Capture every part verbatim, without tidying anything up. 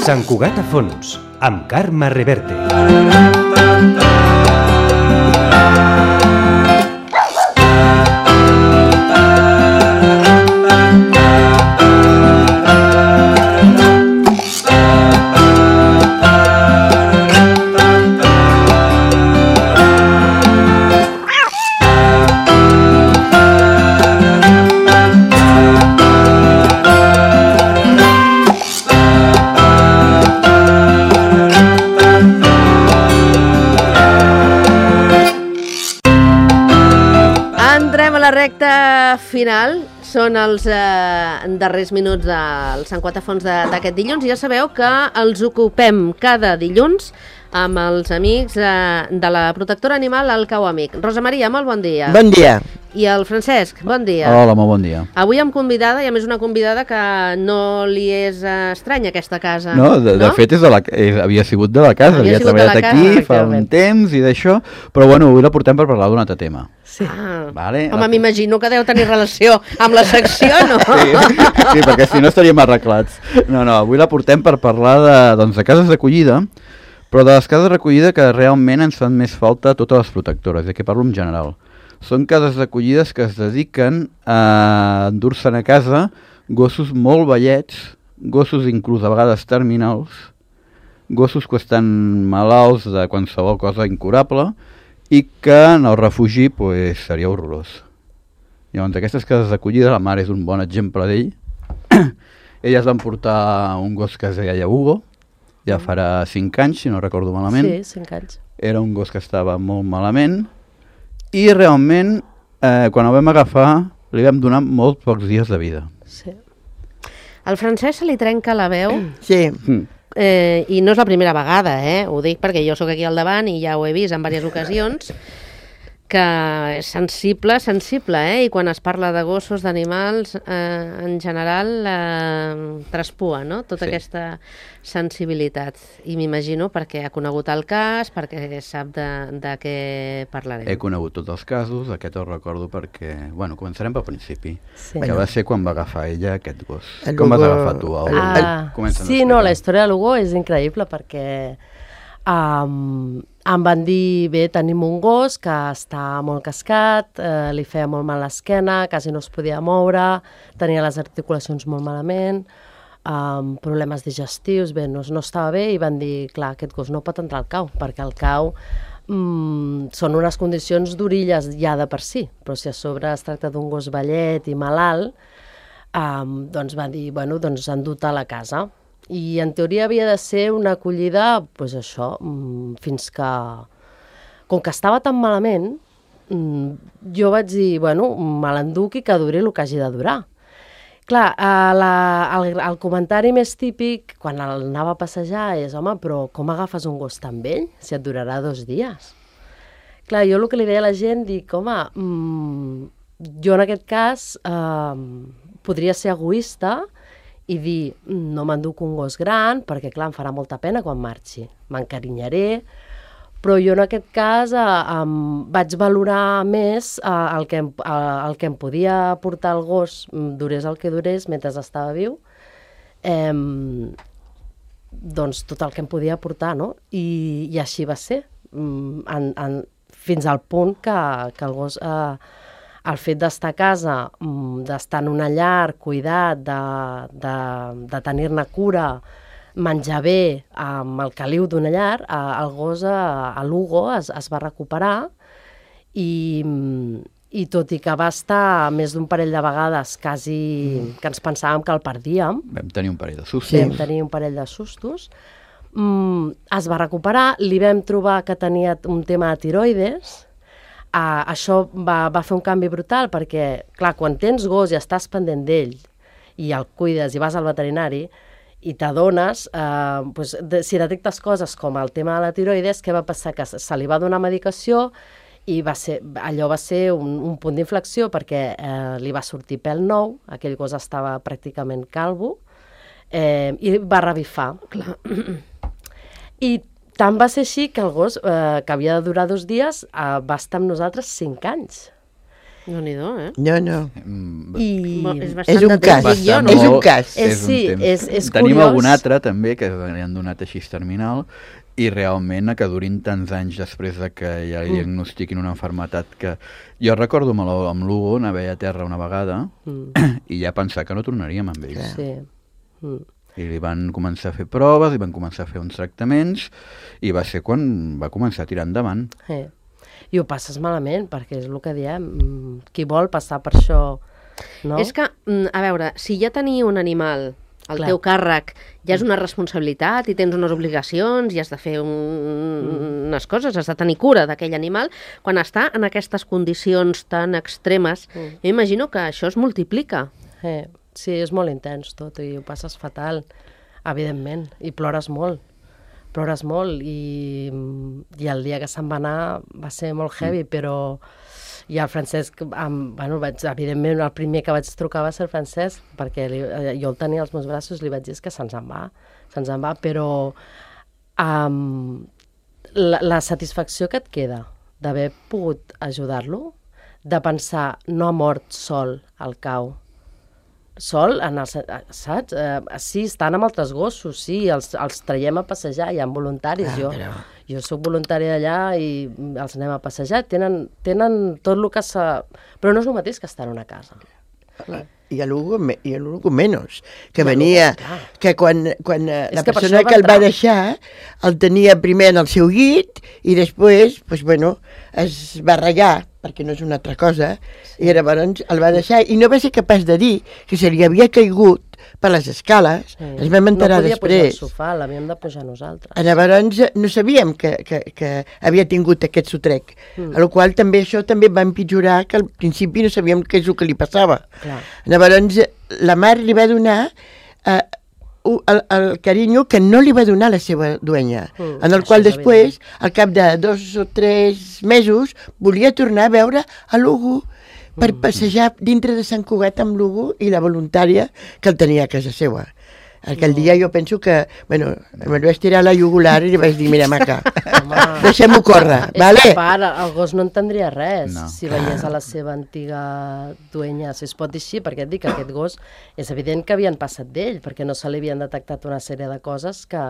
Sant Cugat a fons, amb Carme Reverte. Recta final, són els eh, darrers minuts del Sant Cugat a fons d'aquest dilluns i ja sabeu que els ocupem cada dilluns amb els amics eh, de la protectora animal El Cau Amic. Rosa Maria, molt bon dia. Bon dia. I el Francesc, bon dia. Hola, molt bon dia. Avui amb convidada, i a més una convidada que no li és eh, estranya aquesta casa. No, de, no? de fet és de la, és, havia sigut de la casa, havia, havia treballat casa, aquí fa un temps i d'això, però bueno, avui la portem per parlar d'un altre tema. Sí. Ah. Vale, Home, la... m'imagino que deu tenir relació amb la secció, no? Sí, sí, perquè si no estaríem arreglats. No, no, avui la portem per parlar de, doncs, de cases d'acollida, però de les cases d'acollida que realment ens fan més falta a totes les protectores, de què parlo en general. Són cases d'acollides que es dediquen a endur-se'n a casa gossos molt vellets, gossos inclús a vegades terminals, gossos que estan malalts de qualsevol cosa incurable i que en el refugi pues, seria horrorós. Llavors, aquestes cases d'acollida, la mare és un bon exemple d'ell. Elles van portar un gos que es deia Hugo, ja farà cinc anys, si no recordo malament. Sí, cinc anys. Era un gos que estava molt malament i realment, eh, quan el vam agafar, li vam donar molt pocs dies de vida. Sí. Al Francesc se li trenca la veu. Sí. Mm. Eh, I no és la primera vegada, eh? Ho dic perquè jo sóc aquí al davant i ja ho he vist en diverses ocasions, que és sensible, sensible, eh? I quan es parla de gossos, d'animals, eh, en general eh, traspua, no? Tota sí. Aquesta sensibilitat. I m'imagino perquè ha conegut el cas, perquè sap de, de què parlarem. He conegut tots els casos, aquest el recordo perquè... Bueno, començarem pel principi, sí. que va ser quan va agafar ella aquest gos. El Com Hugo... vas agafar tu? El... Ah, el... sí, no, la història de l'Hugo és increïble perquè um, em van dir, bé, tenim un gos que està molt cascat, eh, li feia molt mal l'esquena, quasi no es podia moure, tenia les articulacions molt malament, um, problemes digestius, bé, no, no estava bé i van dir, clar, aquest gos no pot entrar al cau, perquè el cau um, són unes condicions d'orilles ja de per si, però si a sobre es tracta d'un gos vellet i malalt, um, doncs van dir, bueno, doncs han dut a la casa. I en teoria havia de ser una acollida, doncs això, fins que... Com que estava tan malament, jo vaig dir, bueno, me l'enduc i que duri el que hagi de durar. Clar, la, el, el comentari més típic, quan el anava a passejar, és, home, però com agafes un gos tan vell si et durarà dos dies? Clar, jo el que li deia a la gent, dic, home, mmm, jo en aquest cas eh, podria ser egoista i dir, no m'enduc un gos gran, perquè clar, em farà molta pena quan marxi, m'encarinyaré, però jo en aquest cas eh, em vaig valorar més eh, el, que em, eh, el que em podia portar el gos, durés el que durés, mentre estava viu, eh, doncs tot el que em podia portar, no? I, i així va ser, en, en, fins al punt que, que el gos... Eh, el fet d'estar a casa, d'estar en una llar, cuidat, de, de, de tenir-ne cura, menjar bé amb el caliu d'una llar, el gos, l'Hugo, es, es va recuperar i, i tot i que va estar més d'un parell de vegades quasi que ens pensàvem que el perdíem, vam tenir un parell de sustos, sí, vam tenir un parell de sustos, mm, es va recuperar, li vam trobar que tenia un tema de tiroides. Uh, això va, va fer un canvi brutal perquè, clar, quan tens gos i estàs pendent d'ell i el cuides i vas al veterinari i t'adones, uh, pues, de, si detectes coses com el tema de la tiroides, què va passar? Que se li va donar medicació i va ser, allò va ser un, un punt d'inflexió perquè uh, li va sortir pèl nou, aquell gos estava pràcticament calvo, eh, i va revifar. Clar. I tant va ser així que el gos, eh, que havia de durar dos dies, eh, va estar amb nosaltres cinc anys. No-n'hi-do, eh? No, no. Mm, I... Bo- És És bastant un de cas. dic jo, bastant no? És un molt- cas. És- un sí, temps. és- és Tenim curiós. algun altre també que li han donat així terminal i realment que durin tants anys després de que ja li diagnostiquin una malaltia que... Jo recordo amb l'Hu- amb l'Hugo anar a veure a terra una vegada Mm. i ja pensar que no tornaríem amb ell. Sí. Mm. I li van començar a fer proves, li van començar a fer uns tractaments i va ser quan va començar a tirar endavant. Eh. I ho passes malament, perquè és el que diem, mm, qui vol passar per això, no? És que, mm, a veure, si ja tenir un animal al Clar. teu càrrec ja és una responsabilitat i tens unes obligacions i has de fer un, unes coses, has de tenir cura d'aquell animal, quan està en aquestes condicions tan extremes, Mm. jo imagino que això es multiplica. Eh. Sí, és molt intens tot i ho passes fatal, evidentment, i plores molt. Plores molt i, i el dia que se'n va anar va ser molt heavy, mm. però i el Francesc, amb, bueno, vaig, evidentment el primer que vaig trucar va ser el Francesc, perquè li, jo el tenia als meus braços i li vaig dir que se'ns en va, se'ns en va, però um, la, la satisfacció que et queda d'haver pogut ajudar-lo, de pensar, no ha mort sol al cau, sol, en el, saps? Eh, sí, estan amb altres gossos, sí, els, els traiem a passejar, hi ha voluntaris, Ah, jo, però- jo sóc voluntària d'allà i els anem a passejar, tenen, tenen tot el que s'ha... Però no és el mateix que estar en una casa. I a l'Hugo me- i a l'Hugo menys, que I a l'Hugo, venia, clar. que quan, quan eh, És la que per persona això va que el va entrar. deixar el tenia primer en el seu llit i després, pues, bueno, es va ratllar, perquè no és una altra cosa, i llavors el va deixar i no va ser capaç de dir que se li havia caigut per les escales, Sí. es vam enterar no podia pujar al després. sofà, l'havíem de pujar nosaltres. Llavors no sabíem que, que, que havia tingut aquest sotrec, Mm. a la qual també això també va empitjorar, que al principi no sabíem què és el que li passava. Clar. Llavors la mare li va donar eh, u- el, el carinyo que no li va donar la seva duenya, Mm, en el això qual és després, al cap de dos o tres mesos, volia tornar a veure a l'Hugo per passejar dintre de Sant Cugat amb l'Hugo i la voluntària que el tenia a casa seva. Aquell dia jo penso que, bueno, me'l vaig tirar a la jugular i li vaig dir, mira, maca, deixem-ho córrer, És vale? que a part, el gos no entendria res No. si veiés a la seva antiga duenya, si es pot dir així, perquè et dic que aquest gos és evident que havien passat d'ell, perquè no se li havien detectat una sèrie de coses que,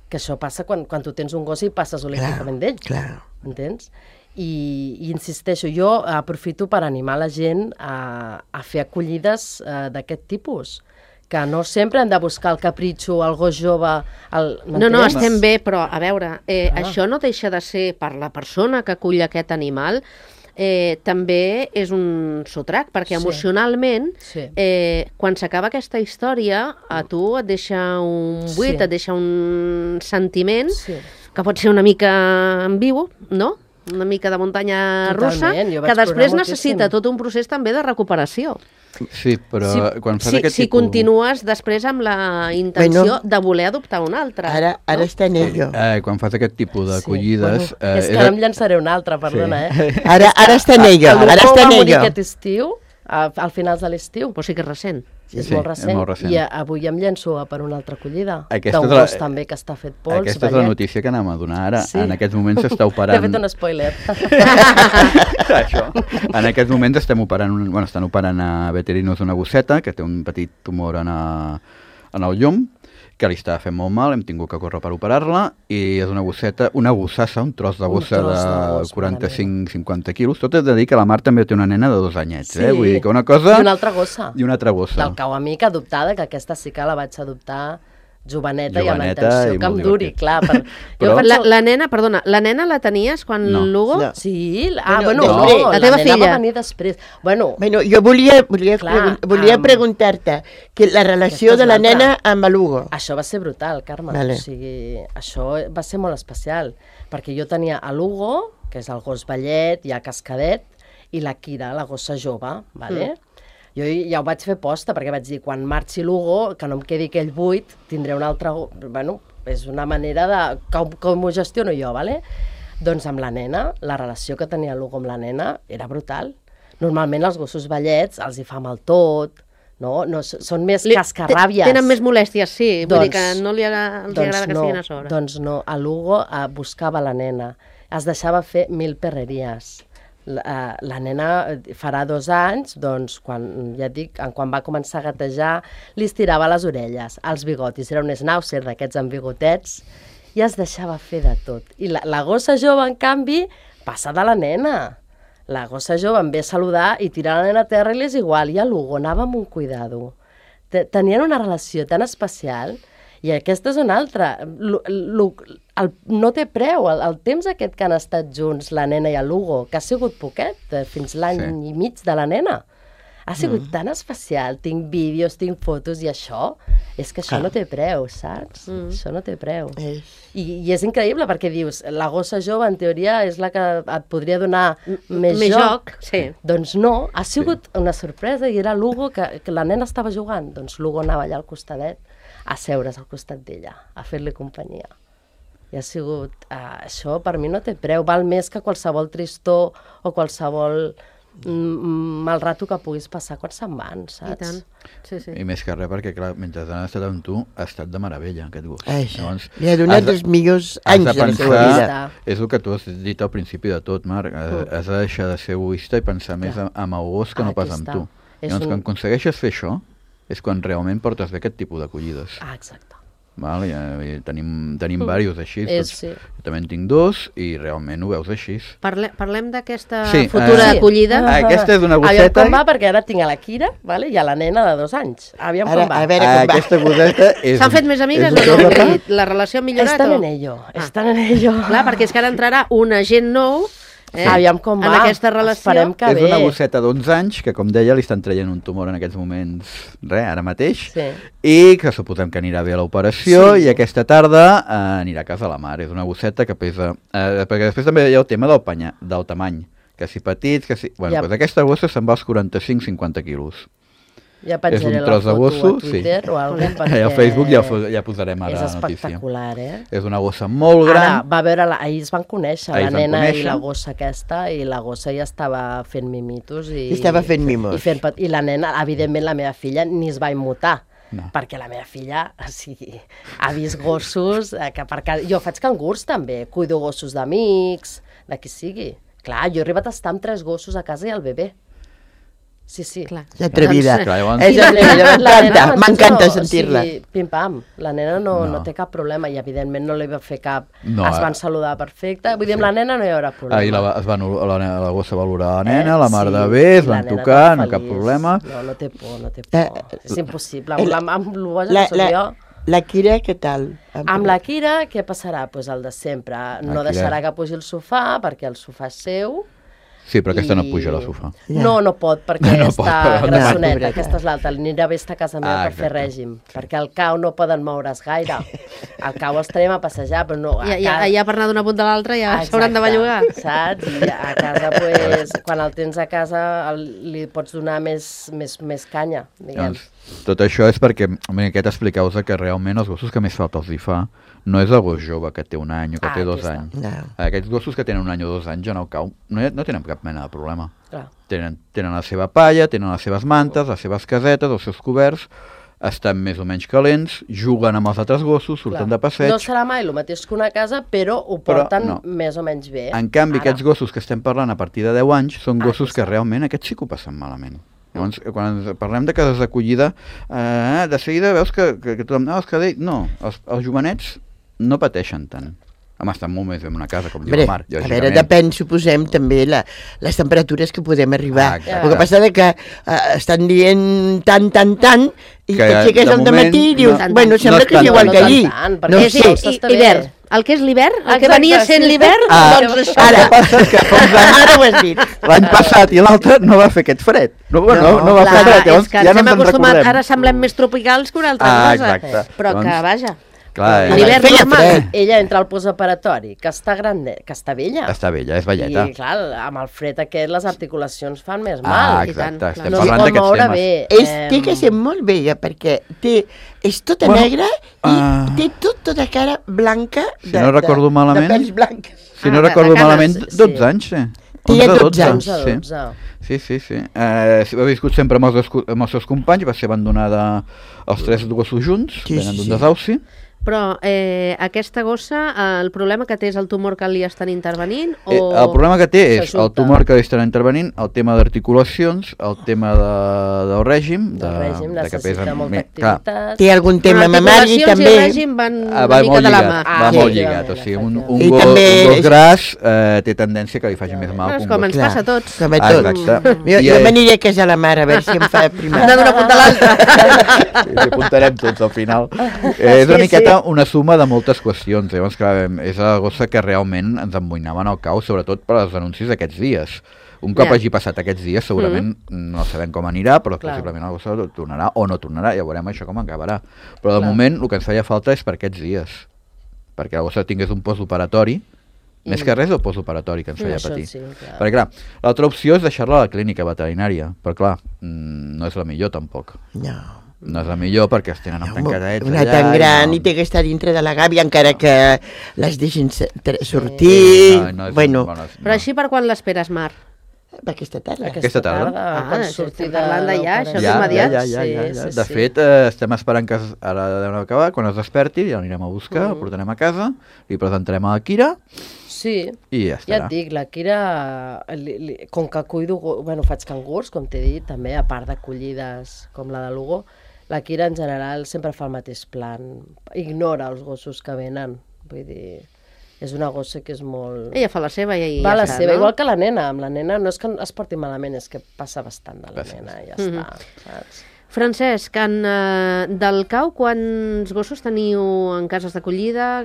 que això passa quan, quan tu tens un gos i passes olímpicament d'ell, Clar. entens? I, i insisteixo, jo aprofito per animar la gent a, a fer acollides eh, d'aquest tipus, que no sempre hem de buscar el capritxo, el gos jove... El, No, no, m'entens? estem bé, però a veure, eh, Ah. això no deixa de ser per la persona que acull aquest animal, eh, també és un sotrac, perquè Sí. emocionalment, Sí. eh, quan s'acaba aquesta història, a tu et deixa un buit, Sí. et deixa un sentiment Sí. que pot ser una mica ambigu, no? Una mica de muntanya russa, Totalment, jo vaig que després plorar necessita moltíssim. tot un procés també de recuperació. Sí, però si, quan fas si, aquest si tipus... continues després amb la intenció Bueno, de voler adoptar un altre. Ara, ara no? està en ello. Eh, quan fas aquest tipus d'acollides... Sí, bueno, és que ara em llançaré una altra, perdona, Sí. eh? Ara, ara està en ello, El ara Hugo està va en morir ello. aquest estiu, a, al finals de l'estiu. Però sí que és recent. És, Sí, molt és recent. molt recent. I a, avui em llenço a per una altra acollida. Aquesta D'un és la- gos també que està fet pols. Aquesta és la vellet. notícia que anem a donar ara. Sí. En aquests moments s'està T'he operant... fet un spoiler. Això. En aquests moments estem operant, un, bueno, estan operant a veterinos una gosseta que té un petit tumor en, a, en el llom, que li estava fent molt mal, hem tingut que córrer per operar-la, i és una gosseta, una gossassa, un tros de Un gossa tros de de gos, quaranta-cinc cinquanta quilos. Tot és de dir que la Mar també té una nena de dos anyets, Sí. eh? Vull dir que una cosa... I una altra gossa. I una altra gossa. Del cau amic adoptada, que aquesta sí que la vaig adoptar joveneta, i amb la Joveneta intenció i que em molt duri, divertit. clar. Per... Però- La, la nena, perdona, la nena la tenies quan No. l'Hugo... No. Sí, ah, Bueno, bueno, després. no, La teva nena filla. va venir després. Bueno, Bueno, jo volia, volia, Clar, pregun volia amb- preguntar-te que la relació Aquesta és de la l'altra. nena amb l'Hugo. això va ser brutal, Carme. Vale. O sigui, això va ser molt especial, perquè jo tenia a l'Hugo, que és el gos vellet, ja cascadet, i la Kira, la gossa jove, vale? Mm. Jo ja ho vaig fer posta, perquè vaig dir, quan marxi l'Hugo, que no em quedi aquell buit, tindré un altre... go- Bueno, és una manera de... Com, com ho gestiono jo, vale? Doncs amb la nena, la relació que tenia l'Hugo amb la nena era brutal. Normalment els gossos vellets els hi fa mal tot, no? no s- són més Li- cascarràbies. Tenen més molèsties, sí. Vull dir Doncs- que no li agrada, els agrada que no, siguin a sobre. Doncs no, a l'Hugo eh, buscava la nena, es deixava fer mil perreries, La, la nena farà dos anys, doncs, quan, ja et dic, quan va començar a gatejar, li estirava les orelles, els bigotis, era un schnauzer d'aquests amb bigotets, i es deixava fer de tot. I la, la gossa jove, en canvi, passa de la nena. La gossa jove em ve a saludar i tira la nena a terra i li és igual, i a l'Hugo anava amb un cuidado. Tenien una relació tan especial. I aquesta és una altra. L, l, el, no té preu. El, el temps aquest que han estat junts, la nena i l'Hugo, que ha sigut poquet, fins l'any sí. i mig de la nena, ha sigut mm. tan especial. Tinc vídeos, tinc fotos, i això, és que això ah. no té preu, saps? Mm. Això no té preu. És... I, I és increïble, perquè dius, la gossa jove, en teoria, és la que et podria donar més, més joc. joc. Sí. Doncs no, ha sigut sí. una sorpresa, i era l'Hugo, que, que la nena estava jugant. Doncs l'Hugo anava allà al costadet, a seure's al costat d'ella, a fer-li companyia. I ha sigut... Uh, això per mi no té preu, val més que qualsevol tristor o qualsevol mm, mal rato que puguis passar quan se'n van, saps? I tant. Sí, sí. I més que res, perquè clar, mentre han estat amb tu, ha estat de meravella, aquest gust. Llavors, li ha donat els millors anys de, de la seva vida. És el que tu has dit al principi de tot, Marc. Uh. Has de deixar de ser egoista i pensar clar. més en el gos que ah, no pas en tu. Llavors, un... quan aconsegueixes fer això, és quan realment portes bé aquest tipus d'acollides. Ah, exacte. Val? I, i tenim tenim mm. diversos així. És, tots, sí. Jo també en tinc dos i realment ho veus així. Parle, parlem d'aquesta sí, futura uh, acollida. Uh, aquesta és una gosseta. Aviam com va, perquè ara tinc a la Kira, vale? I a la nena de dos anys. Aviam ara, com va. A veure com uh, va. Aquesta gosseta és... S'han fet més amigues o no? La relació ha millorat? Estan o? en ello, estan en ello. Clar, perquè és que ara entrarà un agent nou Eh? Aviam com va. En aquesta relació. Esperem que és bé. una gosseta d'onze anys que, com deia, li estan traient un tumor en aquests moments, res, ara mateix, sí. i que suposem que anirà bé a l'operació, sí. i aquesta tarda eh, anirà a casa la mare. És una gosseta que pesa... Eh, perquè després també hi ha el tema del, panya, del tamany, que si petits, que si... Bueno, ja. doncs aquesta gossa se'n va als quaranta-cinc cinquanta quilos. Ja penjaré la foto gosso, a Twitter sí. o alguna cosa, perquè... I al Facebook ja, ja posarem ara la notícia. És espectacular, eh? És una gossa molt gran. Ara, va veure la... ahir es van conèixer, ahir la nena conèixer. i la gossa aquesta, i la gossa ja estava fent mimitos. I, I estava fent mimos. I, fent... I la nena, evidentment, la meva filla ni es va immutar. No. Perquè la meva filla o sigui, ha vist gossos eh, que per casa... Jo faig cangurs també, cuido gossos d'amics, de qui sigui. Clar, jo he arribat a estar amb tres gossos a casa i el bebè. Sí, sí. Clar. És atrevida. Clar, llavors... És atrevida, m'encanta, m'encanta no, sentir-la. O sigui, pim-pam, la nena no, no. No. no té cap problema i evidentment no li va fer cap... No, es van saludar perfecte, vull dir, amb la nena no hi haurà problema. Ahir la, es van, la, la gossa va valorar la nena, eh? la mar sí, de bé, es van tocar, no cap problema. No, no té por, no té por. Eh, és impossible. Amb, la, amb el boja la, que soc la, jo... La Kira, què tal? Amb la Kira, què passarà? Pues el de sempre. No Kira... deixarà que pugi el sofà, perquè el sofà és seu. Sí, però aquesta I... no puja al sofà. Ja. No, no pot, perquè no, no està pot, grassoneta, no. aquesta és l'altra. Anirà bé estar a casa meva ah, per fer règim, sí. perquè al cau no poden moure's gaire. Al cau els traiem a passejar, però no... Ja, ja, ja per anar d'una punta a l'altra ja s'hauran de bellugar. Saps? I a casa, pues, quan el tens a casa, el, li pots donar més, més, més canya, diguem. Doncs, tot això és perquè, home, aquest expliqueu-vos que realment els gossos que més falta els hi fa no és el gos jove que té un any o que ah, té dos aquesta. anys. No. Aquests gossos que tenen un any o dos anys en el cau no, hi, no tenen cap mena de problema. Clar. Tenen, tenen la seva palla, tenen les seves mantes, les seves casetes, els seus coberts, estan més o menys calents, juguen amb els altres gossos, surten Clar. de passeig... No serà mai el mateix que una casa, però ho porten però, no. més o menys bé. En canvi, Ara. aquests gossos que estem parlant a partir de deu anys són Ah, gossos que sí. realment aquests sí que ho passen malament. Llavors, quan parlem de cases d'acollida, eh, de seguida veus que, que, que tothom... No, els, que, no els, els jovenets no pateixen tant. Home, estan molt més en una casa, com diu Hombre, la Mar. a veure, depèn, suposem, també la, les temperatures que podem arribar. Ah, el que passa és que uh, estan dient tant, tant, tant, i que t'aixeques de al matí i dius, no, bueno, sembla no que és igual no que tant, ahir. tant, No perquè sé. sí, I, hivern. El que és l'hivern, el que Exacte, venia sent sí. l'hivern, Ah, doncs això. ara, que fa uns anys, ara ho has dit. l'any passat i l'altre no va fer aquest fred. No, no, no, no va Clar, fer fred, llavors és que ja ens no hem ens en acostumat, recordem. ara semblem més tropicals que una altra Ah, cosa. exacte. Però que, Doncs- vaja, Clar, Ara, l'hivern feia normal. fred. Ella entra al postoperatori, que està gran, que està vella. Està vella, és velleta. I, clar, amb el fred aquest, les articulacions fan més Ah, mal. i tant, exacte, clar. estem No parlant es pot d'aquests moure temes. bé. És, té que ser molt bella, perquè té, és tota Bueno, negra i ah. té tot, tota cara blanca de, Si no recordo de, malament- de pèls blancs. Si no Ah, de- recordo de cames, malament, sí. dotze anys, sí. Té onze, dotze anys. onze, sí. dotze. Sí, sí, sí. Eh, ha viscut sempre amb els, amb els seus companys, va ser abandonada els tres gossos junts, Sí, venen sí, d'un sí. desauci, Però eh, aquesta gossa, eh, el problema que té és el tumor que li estan intervenint? O... Eh, el problema que té és el s'ajunta? tumor que li estan intervenint, el tema d'articulacions, el tema de, del règim, de, El règim de que necessita pesa molta me- clar, activitat. Té algun tema mamari Articulacions també. i règim van Ah, una va mica molt de la lligat, mà. va Ah, molt sí, lligat, o sigui, un, un, I gos, també- un gos gras eh, té tendència que li faci més mal Bueno, que és un com gos. ens passa a tots. Com a Ah, tots. exacte. Jo, I, jo eh, m'aniré a casar la mare a veure si em fa Hem primar. de d'una punta a l'altra. Sí, ens apuntarem tots al final. Eh, és una Sí, miqueta sí. una suma de moltes qüestions. Llavors, clar, és la gossa que realment ens emboinaven el cau, sobretot per als anuncis d'aquests dies. Un cop Ja. hagi passat aquests dies, segurament no sabem com anirà, però Clar. possiblement la gossa tornarà o no tornarà, ja veurem això com acabarà. Però de Clar. moment el que ens feia falta és per aquests dies, perquè la gossa tingués un postoperatori, més que res el postoperatori que ens feia Això patir. sí, clar. Perquè clar, l'altra opció és deixar-la a la clínica veterinària, però clar, mm, no és la millor tampoc. No. No és la millor perquè es tenen No, tancadets una allà tan i gran no. i té que estar dintre de la gàbia encara que les deixin se- tra- sortir. No, no és Bueno, bona- Però no. així per quan l'esperes, Mar? aquesta tarda. Aquesta tarda? Ah, quan estem surti de parlant de ja, això és Ja, immediat. ja, ja, ja, ja. Sí, De sí, fet, eh, estem esperant que es, ara deuen acabar, quan es desperti ja l'anirem a buscar, Mm. el portarem a casa, li presentarem a la Kira Sí, i ja ja estarà. et dic, la Kira, li, li, com que cuido, go- bueno, faig cangurs, com t'he dit, també, a part d'acollides com la de Lugo, la Kira en general sempre fa el mateix plan, ignora els gossos que venen, vull dir, és una gossa que és molt... Ella fa la seva i, i Va ja la està, seva, no? igual que la nena, amb la nena no és que es porti malament, és que passa bastant de la Gràcies. nena, ja Mhm. està, saps? Francesc, en, uh, del cau, quants gossos teniu en cases d'acollida?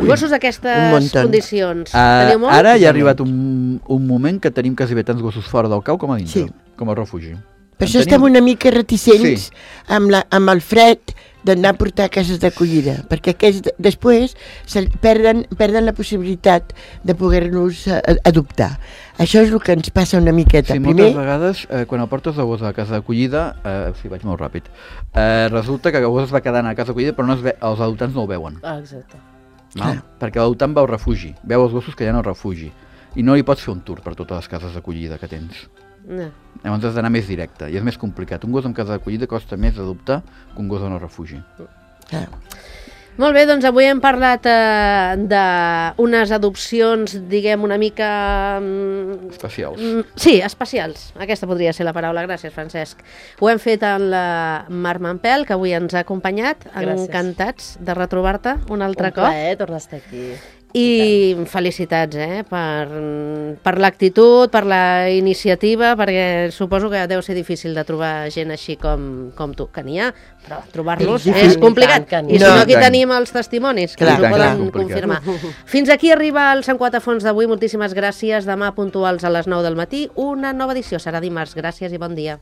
Gossos Un d'aquestes muntón. condicions. Uh, Teniu molts? ara ja ha arribat un, un moment que tenim quasi bé tants gossos fora del cau com a dintre, Sí. com a refugi. Per En això tenim- estem una mica reticents Sí. amb, la, amb el fred d'anar a portar a cases d'acollida, perquè aquests després se perden, perden la possibilitat de poder-nos eh, adoptar. Això és el que ens passa una miqueta. Sí, Primer, moltes vegades, eh, quan el portes de gos a la casa d'acollida, eh, sí, vaig molt ràpid, eh, resulta que el gos es va quedar a la casa d'acollida, però no es ve, els adoptants no ho veuen. Ah, exacte. Val? Perquè l'adoptant va al refugi, veu els gossos que hi ha al refugi, i no li pots fer un tour per totes les cases d'acollida que tens. No. Llavors has d'anar més directe, i és més complicat. Un gos en casa d'acollida costa més adoptar que un gos en el refugi. ah, Molt bé, doncs avui hem parlat eh, d'unes adopcions, diguem, una mica... mm, Especials. mm, Sí, especials. Aquesta podria ser la paraula. Gràcies, Francesc. Ho hem fet amb la Mar Mampel, que avui ens ha acompanyat. Gràcies. Encantats de retrobar-te un altre Un cop. plaer tornar a estar aquí. I felicitats eh, per, per l'actitud, per la iniciativa, perquè suposo que deu ser difícil de trobar gent així com, com tu, que n'hi ha, però trobar-los És és, difícil. complicat. I tant que I n'hi si ha. no, No, aquí i tant. tenim els testimonis, que Clar, ens ho clar, poden és complicat. confirmar. Fins aquí arriba el Sant Quatre Fons d'avui. Moltíssimes gràcies. Demà puntuals a les nou del matí. Una nova edició serà dimarts. Gràcies i bon dia.